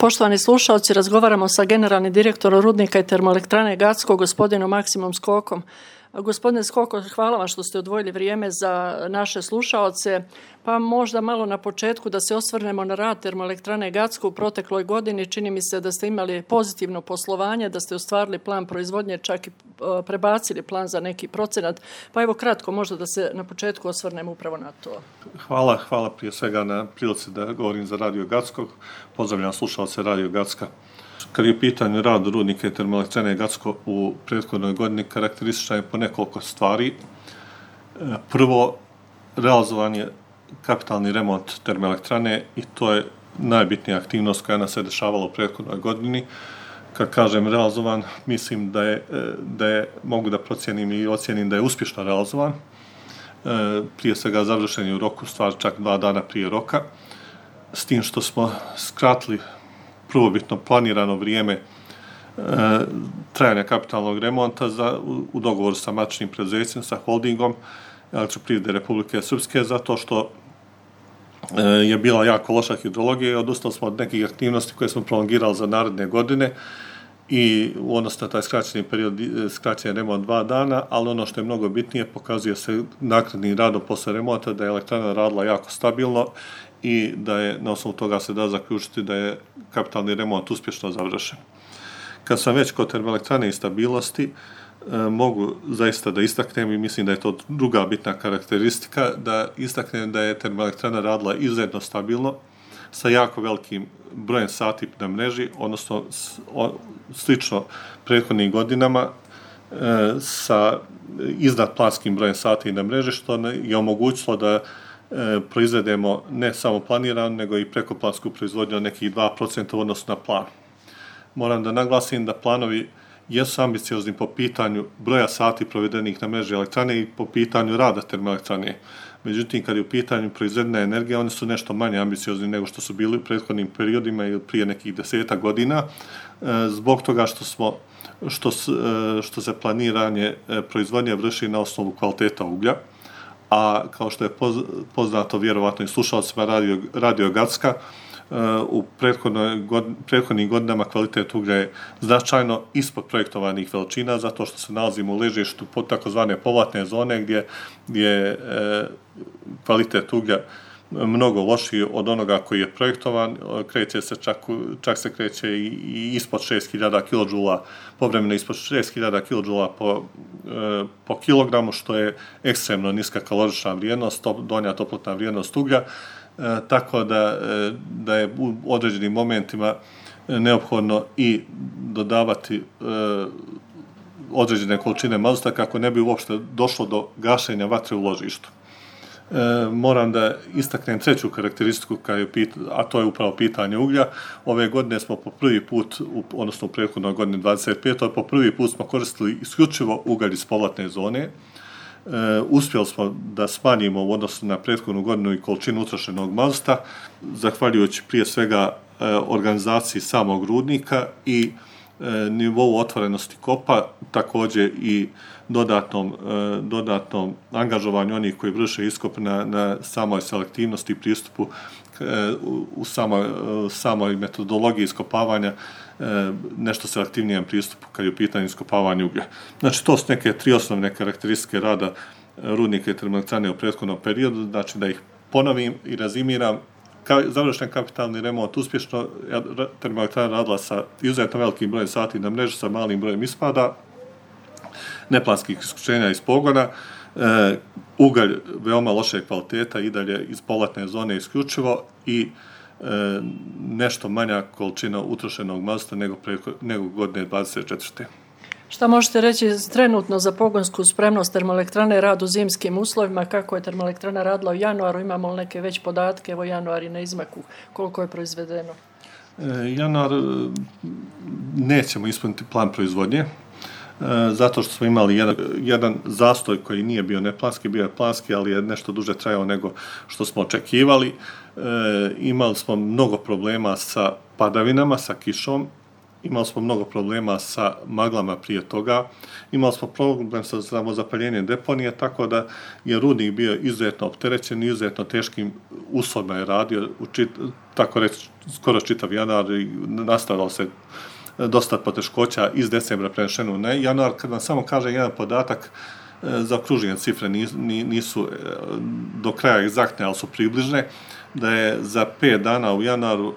Poštovani slušalci, razgovaramo sa generalnim direktorom Rudnika i termoelektrane Gacko, gospodinom Maksimom Skokom. Gospodine Skoko, hvala vam što ste odvojili vrijeme za naše slušaoce. Pa možda malo na početku da se osvrnemo na rad termoelektrane Gacko u protekloj godini. Čini mi se da ste imali pozitivno poslovanje, da ste ostvarili plan proizvodnje, čak i prebacili plan za neki procenat. Pa evo kratko, možda da se na početku osvrnemo upravo na to. Hvala prije svega na prilici da govorim za Radio Gacko. Pozdravljam slušalce Radio Gacka. Kad je u pitanju rad Rudnika i termoelektrane Gacko u prethodnoj godini, karakterističan je po nekoliko stvari. Prvo, realizovan je kapitalni remont termoelektrane i to je najbitnija aktivnost koja nas se dešavala u prethodnoj godini. Kad kažem realizovan, mislim da je mogu da procijenim i ocijenim da je uspješno realizovan. Prije svega završen je u roku, stvar čak 2 dana prije roka, s tim što smo skratili prvobitno planirano vrijeme trajanja kapitalnog remonta u dogovoru sa matičnim preduzećem, sa holdingom Elektroprivrede Republike Srpske, zato što je bila jako loša hidrologija i odustali smo od nekih aktivnosti koje smo prolongirali za naredne godine i u odnosu na taj skraćeni period, skraćen remont 2 dana, ali ono što je mnogo bitnije, pokazuje se naknadnim radom posle remonta da je elektrana radila jako stabilno i da je na osnovu toga se da zaključiti da je kapitalni remont uspješno završen. Kad sam već kod termoelektrane i stabilnosti, mogu zaista da istaknem i mislim da je to druga bitna karakteristika, da istaknem da je termoelektrana radila izuzetno stabilno, sa jako velikim brojem sati na mreži, odnosno slično prethodnim godinama, sa iznadplanskim brojem sati na mreži, što je omogućilo da proizvedemo ne samo planiranu, nego i prekoplansku proizvodnju od nekih 2% u odnosu na plan. Moram da naglasim da planovi jesu ambiciozni po pitanju broja sati provedenih na mreži elektrane i po pitanju rada termoelektrane. Međutim, kad je u pitanju proizvedena energija, oni su nešto manje ambiciozni nego što su bili u prethodnim periodima ili prije nekih 10 godina, zbog toga što se planiranje proizvodnje vrši na osnovu kvaliteta uglja, a kao što je poznato vjerovatno i slušalcima Radio Gacka, u prethodnim godinama kvalitet uglja je značajno ispod projektovanih veličina, zato što se nalazimo u ležištu pod takozvane povratne zone gdje je kvalitet uglja mnogo lošiji od onoga koji je projektovan, čak se kreće i ispod 6000 kJ, povremeno ispod 6000 kJ po kilogramu, što je ekstremno niska kalorična vrijednost, donja toplotna vrijednost uglja, tako da je u određenim momentima neophodno i dodavati određene količine mazuta kako ne bi uopšte došlo do gašenja vatre u ložištu. Moram da istaknem treću karakteristiku, a to je upravo pitanje uglja. Ove godine smo po prvi put, odnosno u prethodnoj godini 25. po prvi put smo koristili isključivo ugalj iz povratne zone. Uspjeli smo da smanjimo u odnosu na prethodnu godinu i količinu utrošenog mazuta, zahvaljujući prije svega organizaciji samog rudnika i nivou otvorenosti kopa, također i dodatnom angažovanju onih koji vrše iskop na samoj selektivnosti i pristupu u samoj metodologiji iskopavanja, nešto selektivnijem pristupu kad je u pitanju iskopavanja uglja. Znači, to su neke 3 osnovne karakteristike rada Rudnika i termoelektrane u prethodnom periodu, znači da ih ponovim i rezimiram. Završen kapitalni remont uspješno, termoelektrana radila sa izuzetno velikim brojem sati na mreži, sa malim brojem ispada, neplanskih isključenja iz pogona, ugalj veoma loše kvaliteta i dalje iz povratne zone isključivo i nešto manja količina utrošenog mazuta nego godine 24. Šta možete reći trenutno za pogonsku spremnost termoelektrane, rad u zimskim uslovima, kako je termoelektrana radila u januaru, imamo li neke već podatke, evo januar je na izmaku, koliko je proizvedeno? Januar nećemo ispuniti plan proizvodnje, zato što smo imali jedan zastoj koji nije bio neplanski, bio je planski, ali je nešto duže trajao nego što smo očekivali. Imali smo mnogo problema sa padavinama, sa kišom imali smo mnogo problema sa maglama prije toga, imali smo problem sa samozapaljenjem deponije, tako da je rudnik bio izuzetno opterećen i izuzetno teškim uslovima je radio, tako reći, skoro čitav januar i nastavljalo se dosta poteškoća iz decembra prenešeno na januar. Kad vam samo kaže jedan podatak, zaokružene cifre nisu do kraja egzaktne, ali su približne, da je za 5 dana u januaru,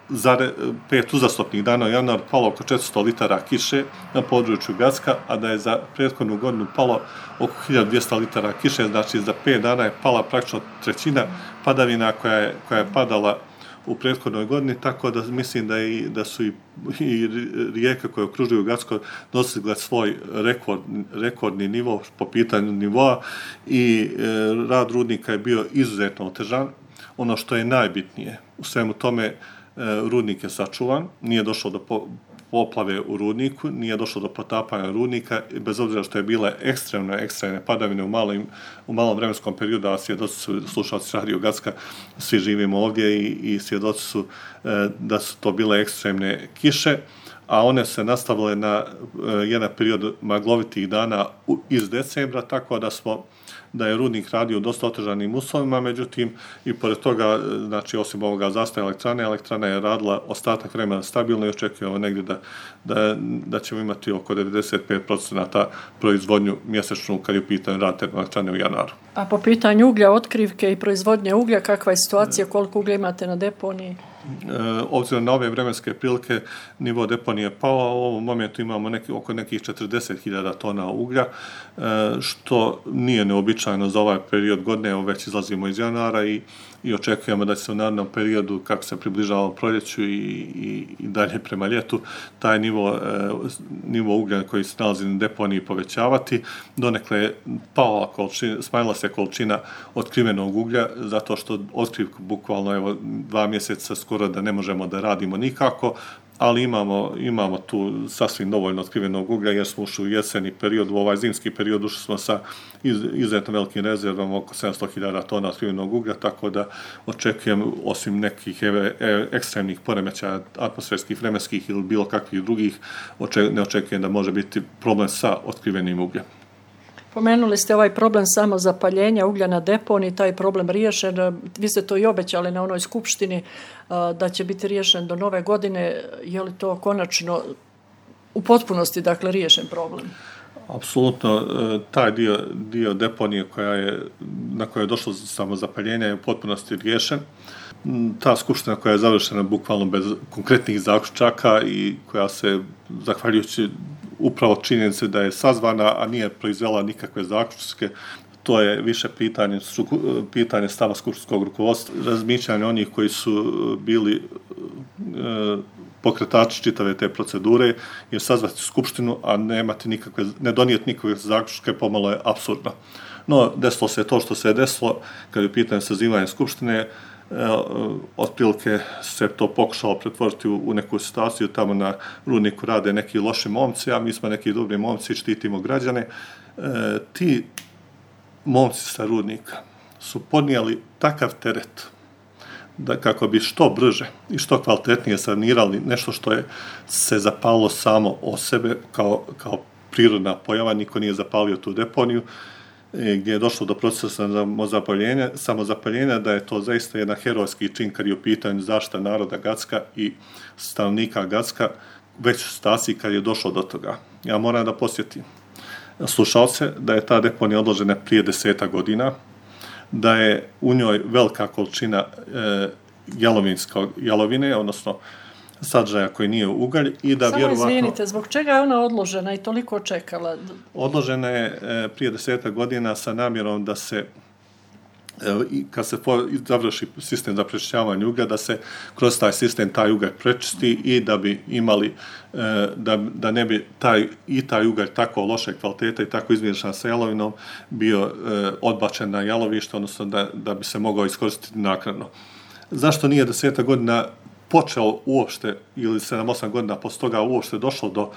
za 5 uzastopnih dana u januaru palo oko 400 litara kiše na području Gacka, a da je za prethodnu godinu palo oko 1200 litara kiše, znači za 5 dana je pala praktično trećina padavina koja je padala u prethodnoj godini, tako da mislim da su i rijeke koje okružuju Gacko dostigle svoj rekordni nivo po pitanju nivoa i rad rudnika je bio izuzetno otežan. Ono što je najbitnije u svemu tome, rudnik je sačuvan, nije došlo do poplave u rudniku, nije došlo do potapanja rudnika, bez obzira što je bile ekstremne padavine u malom vremenskom periodu, a svjedoci su slušalci Radio Gacka, svi živimo ovdje i svjedoci su da su to bile ekstremne kiše, a one se nastavile na jedan period maglovitih dana iz decembra, tako da je rudnik radio u dosta otežanim uslovima, međutim i pored toga, znači osim ovoga zastoja elektrana je radila ostatak vremena stabilno i očekujemo negdje da ćemo imati oko 95% proizvodnju mjesečnu kad je u pitanju rad termoelektrane u januaru. A po pitanju uglja, otkrivke i proizvodnje uglja, kakva je situacija, koliko uglja imate na deponiji? Obzirom na ove vremenske prilike, nivo deponije je pao, u ovom momentu imamo oko nekih 40.000 tona uglja, što nije neobičajno za ovaj period godine, evo već izlazimo iz januara i očekujemo da će se u narednom periodu, kako se približava proljeću i dalje prema ljetu, taj nivo uglja koji se nalazi na deponiji povećavati. Donekle je smanjila se količina otkrivenog uglja, zato što otkrivku bukvalno 2 mjeseca skoro da ne možemo da radimo nikako, ali imamo tu sasvim dovoljno otkrivenog uglja jer smo ušli u jeseni period, u ovaj zimski period ušli smo sa izuzetno velikim rezervom oko 700.000 tona otkrivenog uglja, tako da očekujem, osim nekih ekstremnih poremećaja atmosferskih, vremenskih ili bilo kakvih drugih, ne očekujem da može biti problem sa otkrivenim ugljem. Pomenuli ste ovaj problem samozapaljenja uglja na deponiji, taj problem riješen. Vi ste to i obećali na onoj skupštini da će biti riješen do nove godine. Je li to konačno u potpunosti riješen problem? Apsolutno, taj dio deponije na koje je došlo samozapaljenja je u potpunosti riješen. Ta skupština koja je završena bukvalno bez konkretnih zaključaka i koja se, zahvaljujući upravo činjenice da je sazvana, a nije proizvela nikakve zaključke, to je više pitanje stava skupštinskog rukovodstva, razmišljanja onih koji su bili pokretači čitave te procedure, jer sazvati skupštinu, a ne donijeti nikakve zaključke, pomalo je apsurdno. No, desilo se to što se je desilo, kad je u pitanju sazivanja skupštine, otprilike se to pokušalo pretvoriti u neku situaciju, tamo na rudniku rade neki loši momci, a mi smo neki dobri momci i štitimo građane. Ti momci sa rudnika su podnijeli takav teret da kako bi što brže i što kvalitetnije sanirali nešto što je se zapalilo samo od sebe kao prirodna pojava, niko nije zapalio tu deponiju, gdje je došlo do procesa samozapaljenja, da je to zaista jedan herojski čin kad je u pitanju zaštita naroda Gacka i stanovnika Gacka, već u situaciji kad je došlo do toga. Ja moram da podsjetim slušalce da je ta deponija odložena prije 10 godina, da je u njoj velika količina jalovine, odnosno sadržaja koji nije ugalj i da vjerovatno... Samo izvinite, zbog čega je ona odložena i toliko čekala? Odložena je prije 10 godina sa namjerom da se, kad se završi sistem za prečišćavanje uglja, da se kroz taj sistem taj ugalj prečisti i da bi imali, da ne bi taj ugalj tako loše kvalitete i tako izmiješan sa jalovinom bio odbačen na jalovište, odnosno da bi se mogao iskoristiti naknadno. Zašto nije 10 godina počeo uopšte, ili 7-8 godina poslije toga uopšte došlo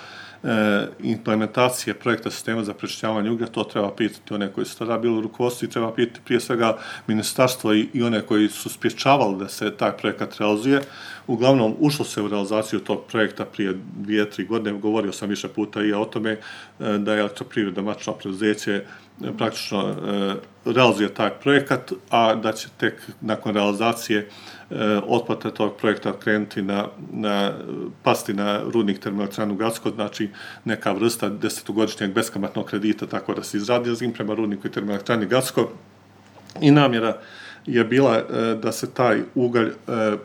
implementacije projekta sistema za prečišćavanje uglja, to treba pitati one koji su tada bili u rukovodstvu i treba pitati prije svega ministarstvo i one koji su sprječavali da se taj projekat realizuje. Uglavnom, ušlo se u realizaciju tog projekta prije 2-3 godine. Govorio sam više puta i o tome da je Elektroprivreda matično preduzeće praktično realizuje taj projekat, a da će tek nakon realizacije otplate tog projekta krenuti pasti na rudnik termoelektranu Gacko, znači neka vrsta 10-godišnjeg beskamatnog kredita, tako da se izradi leasing prema rudniku i termoelektrani Gacko. I namjera je bila da se taj ugalj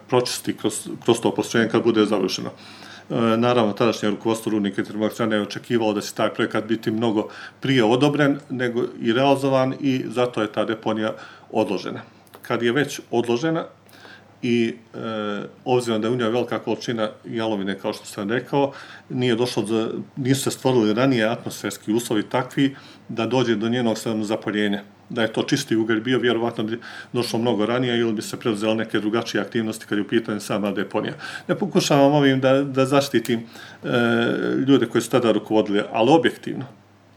pročisti kroz to postrojenje kad bude završeno. Naravno, tadašnje rukovodstvo rudnika i termoelektrane je očekivalo da će taj projekat biti mnogo prije odobren nego i realizovan i zato je ta deponija odložena. Kad je već odložena i obzirom da je u njoj velika količina jalovine, kao što sam rekao, nisu se stvorili ranije atmosferski uslovi takvi da dođe do njenog samozapaljenja. Da je to čisti ugalj bio, vjerovatno bi došlo mnogo ranije ili bi se preuzele neke drugačije aktivnosti kad je u pitanju sama deponija. Ne pokušavam ovim da zaštitim ljude koji su tada rukovodili, ali objektivno.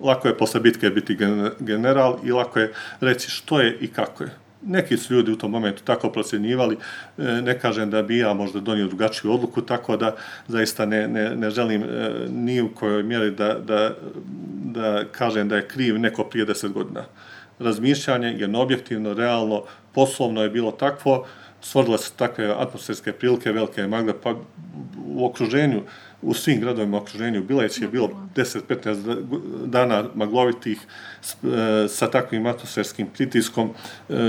Lako je posle bitke biti general i lako je reći što je i kako je. Neki su ljudi u tom momentu tako procjenjivali, ne kažem da bi ja možda donio drugačiju odluku, tako da zaista ne želim ni u kojoj mjeri da kažem da je kriv neko prije 10 godina. Razmišljanje je objektivno, realno, poslovno je bilo takvo, stvorile su takve atmosferske prilike, velike magle, pa u okruženju, u svim gradovima u okruženju Bileć je bilo 10-15 dana maglovitih sa takvim atmosferskim pritiskom,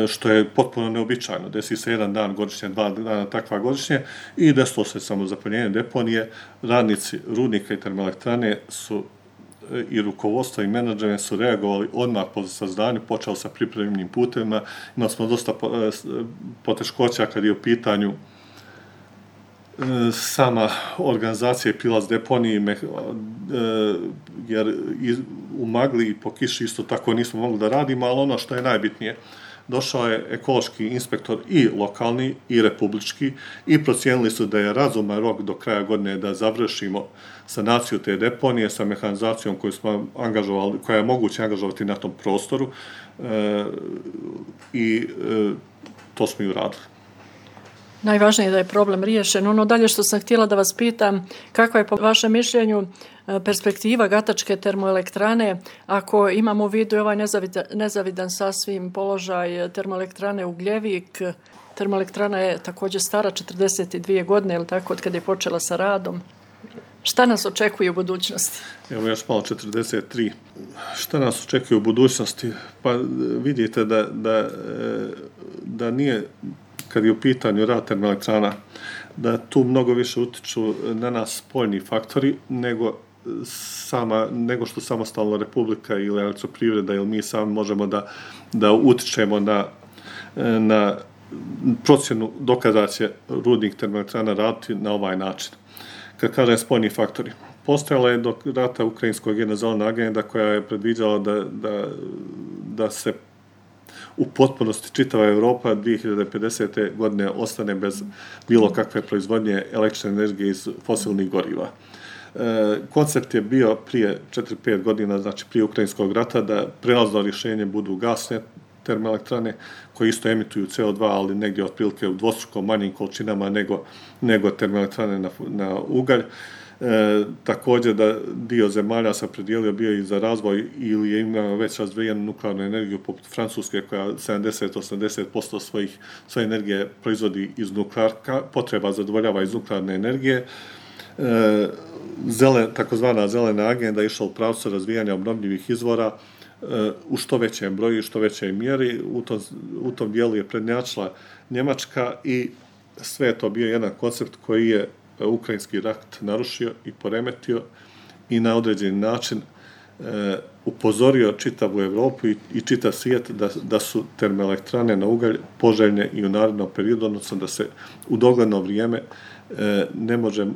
što je potpuno neobičajno. Desi se jedan dan godišnje, 2 dana takva godišnje i desilo se samozapaljenje deponije. Radnici rudnika i termoelektrane su i rukovodstvo i menadžment su reagovali odmah po sazdanju, počeli sa pripremnim putevima. Imali smo dosta poteškoća kad je u pitanju sama organizacija i prilaz deponiji, jer u magli i po kiši isto tako nismo mogli da radimo, ali ono što je najbitnije, došao je ekološki inspektor i lokalni i republički i procijenili su da je razuman rok do kraja godine da završimo sanaciju te deponije sa mehanizacijom koju smo angažovali, koja je moguće angažovati na tom prostoru i to smo i uradili. Najvažnije je da je problem riješen. Ono dalje što sam htjela da vas pitam, kakva je po vašem mišljenju perspektiva Gatačke termoelektrane ako imamo u vidu ovaj nezavidan sasvim položaj termoelektrane Ugljevik. Termoelektrana je također stara 42 godine, ili tako, od kada je počela sa radom. Šta nas očekuje u budućnosti? Evo još malo 43. Šta nas očekuje u budućnosti? Pa vidite da nije, kad je u pitanju rad termoelektrana, da tu mnogo više utiču na nas spoljni faktori nego što samostalna republika ili Elektroprivreda ili mi sami možemo da utičemo na procjenu dokada će rudnik termoelektrana raditi na ovaj način. Kad kažem spoljni faktori, postojala je do rata ukrajinskog jedna zelena agenda koja je predviđala da se u potpunosti čitava Europa 2050. godine ostane bez bilo kakve proizvodnje električne energije iz fosilnih goriva. Koncept je bio prije 4-5 godina, znači prije Ukrajinskog rata, da prelazno rješenje budu gasne termoelektrane koje isto emituju CO2, ali negdje otprilike u dvostruko manjim količinama nego termoelektrane na ugalj. Također da dio zemalja se opredijelio bio i za razvoj ili je imao već razvijenu nuklearnu energiju poput Francuske koja 70-80% svoje energije proizvodi iz nuklearka, potreba zadovoljava iz nuklearne energije. Takozvana zelena agenda je išla u pravcu razvijanja obnovljivih izvora u što većem broju i što većoj mjeri. U tom dijelu je prednjačila Njemačka i sve je to bio jedan koncept koji je ukrajinski rat narušio i poremetio i na određeni način upozorio čitavu Europu i čitav svijet da su termoelektrane na ugalj poželjne i u narednom periodu, odnosno da se u dogledno vrijeme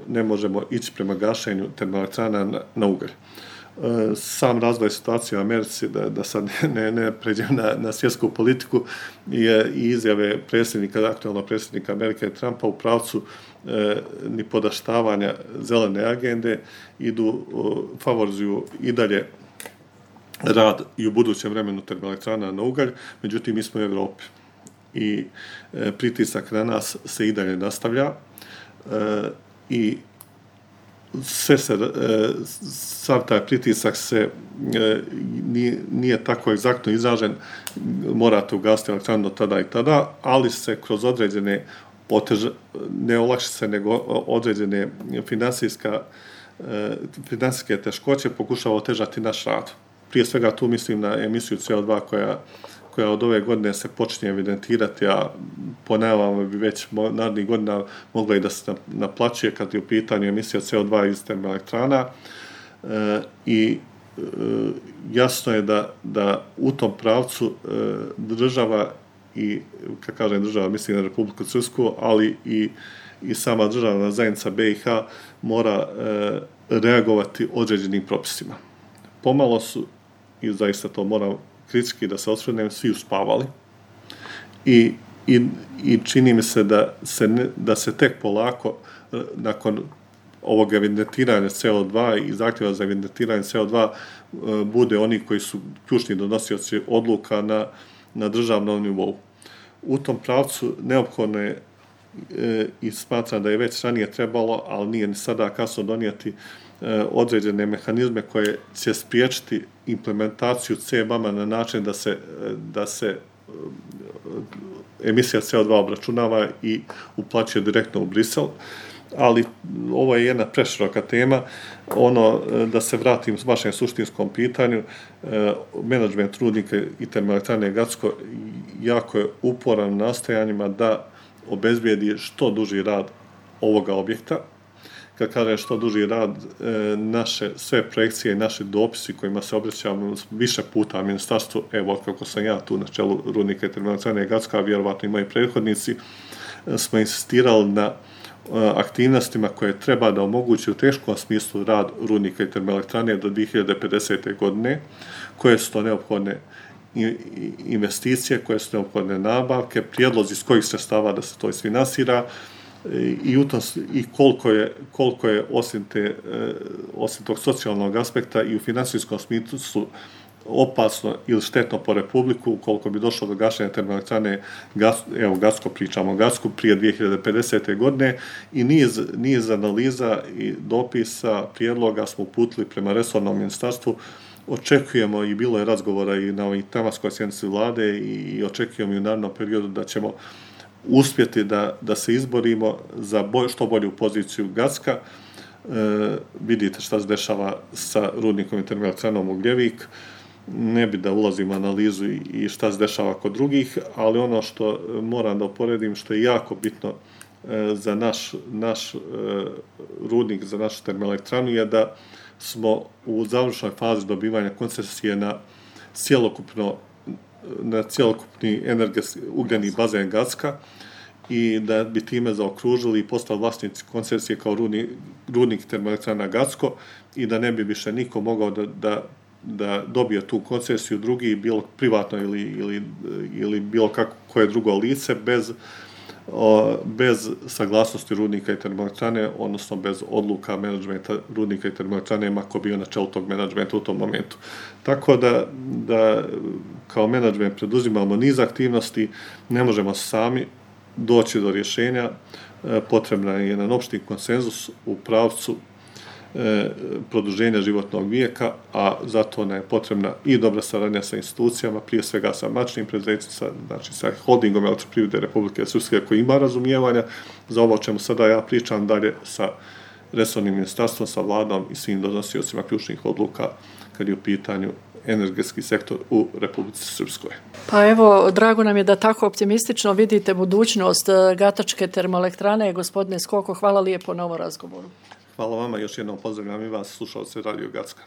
ne možemo ići prema gašenju termoelektrana na ugalj. Sam razvoj situacije u Americi, da sad ne pređem na svjetsku politiku, je i izjave aktualnog predsjednika Amerike Trumpa u pravcu ni podaštavanja zelene agende, favorizuju i dalje rad i u budućem vremenu termoelektrana na ugalj, međutim mi smo u Europi i pritisak na nas se i dalje nastavlja i sav taj pritisak nije tako egzaktno izražen, morate ugasiti elektranu do tada i tada, ali se kroz određene ne olakšice, nego određene financijske teškoće pokušava otežati naš rad. Prije svega tu mislim na emisiju CO2 koja od ove godine se počinje evidentirati, a po najavama bi već narednih godina mogla i da se naplaćuje kad je u pitanju emisija CO2 iz termoelektrana. I jasno je da u tom pravcu država, i kad kažem država mislim na Republiku Srpsku, ali i sama državna zajednica BiH mora reagovati određenim propisima. Pomalo su, i zaista to moram kritički da se osvrnem, svi uspavali i čini mi se da se tek polako nakon ovog evidentiranja CO2 i zahtjeva za evidentiranje CO2 bude oni koji su ključni donosioci odluka na državnom nivou. U tom pravcu neophodno je i smatram da je već ranije trebalo, ali nije ni sada kasno donijeti određene mehanizme koje će spriječiti implementaciju CBAM-a na način da se emisija CO2 obračunava i uplaćuje direktno u Brisel. Ali ovo je jedna preširoka tema. Da se vratim s vašem suštinskom pitanju, menadžment rudnika i termoelektrane Gacko jako je uporan u nastojanjima da obezbijedi što duži rad ovoga objekta. Kad kažem što duži rad, naše sve projekcije i naši dopisi kojima se obraćamo više puta ministarstvu, evo kako sam ja tu na čelu rudnika i termoelektrane Gacko, a vjerovatno i moji prethodnici, smo insistirali na aktivnostima koje treba da omogući u teškom smislu rad rudnika i termoelektrane do 2050. godine, koje su to neophodne investicije, koje su neophodne nabavke, prijedlozi iz kojih sredstava da se to isfinansira i koliko je osim tog socijalnog aspekta i u financijskom smislu opasno ili štetno po Republiku ukoliko bi došlo do gašenja termoelektrane, evo Gacko pričamo o Gacku, prije 2050. godine i niz analiza i dopisa, prijedloga smo uputili prema resornom ministarstvu. Očekujemo i bilo je razgovora i na ovoj tematskoj sjednici vlade i očekujemo i u narednom periodu da ćemo uspjeti da se izborimo za što bolju poziciju Gacka. Vidite šta se dešava sa rudnikom i termoelektranom Ugljevik. Ne bi da ulazim u analizu i šta se dešava kod drugih, ali ono što moram da uporedim, što je jako bitno za naš rudnik, za našu termoelektranu, je da smo u završnoj fazi dobivanja koncesije na cjelokupni energetski ugljeni bazen Gacka i da bi time zaokružili i postali vlasnici koncesije kao rudnik termoelektrana Gacko i da ne bi više niko mogao da dobije tu koncesiju drugi, bilo privatno ili bilo koje drugo lice bez saglasnosti rudnika i termoelektrane, odnosno bez odluka menadžmenta rudnika i termoelektrane, ako bio na čelu tog menadžmenta u tom momentu. Tako da kao menadžment preduzimamo niz aktivnosti, ne možemo sami doći do rješenja, potrebna je jedan opšti konsenzus u pravcu produženja životnog vijeka, a zato nam je potrebna i dobra saradnja sa institucijama, prije svega sa mačnim preduzećima, znači sa holdingom Elektroprivrede Republike Srpske koji ima razumijevanja za ovo o čemu sada ja pričam, dalje sa resornim ministarstvom, sa vladom i svim donosiocima ključnih odluka kad je u pitanju energetski sektor u Republici Srpskoj. Pa evo, drago nam je da tako optimistično vidite budućnost Gatačke termoelektrane. Gospodine Skoko, hvala lijepo na ovom razgovoru. Hvala vama, još jednom pozdravljam i vas, slušalce Radio Gacka.